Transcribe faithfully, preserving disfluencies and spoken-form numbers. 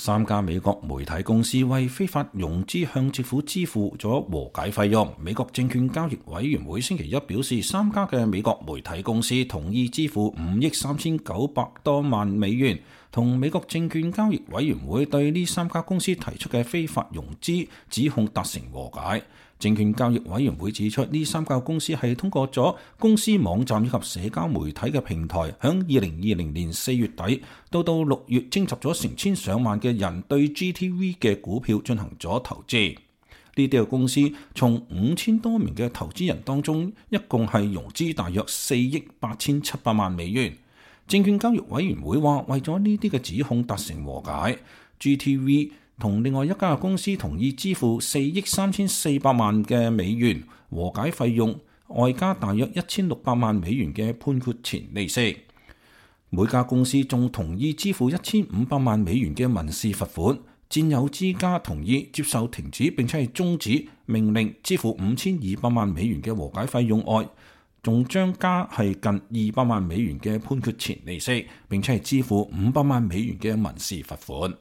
三家美國媒體公司為非法融資向政府支付咗和解費用。美國證券交易委員會星期一表示，三家嘅美國媒體公司同意支付五億三千九百多萬美元，同美國證券交易委員會對呢三家公司提出嘅非法融資指控達成和解。證券交易委員會指出，呢三家公司係通過咗公司網站以及社交媒體嘅平台，響二零二零年四月底到到六月徵集咗成千上萬嘅人對 G T V 嘅股票進行咗投資。呢啲嘅公司從五千多名嘅投資人當中，一共係融資大約四億八千七百萬美元。證券交易委員會話，為咗呢啲嘅指控達成和解 ，G T V 同另外一家公司同意支付四億三千四百萬嘅美元和解費用，外加大約一千六百萬美元嘅判決前利息。每家公司仲同意支付一千五百萬美元嘅民事罰款。佔有之家同意接受停止並且係終止命令支付五千二百萬美元嘅和解費用外，仲將加係近二百萬美元嘅判決前利息，並且係支付五百萬美元嘅民事罰款。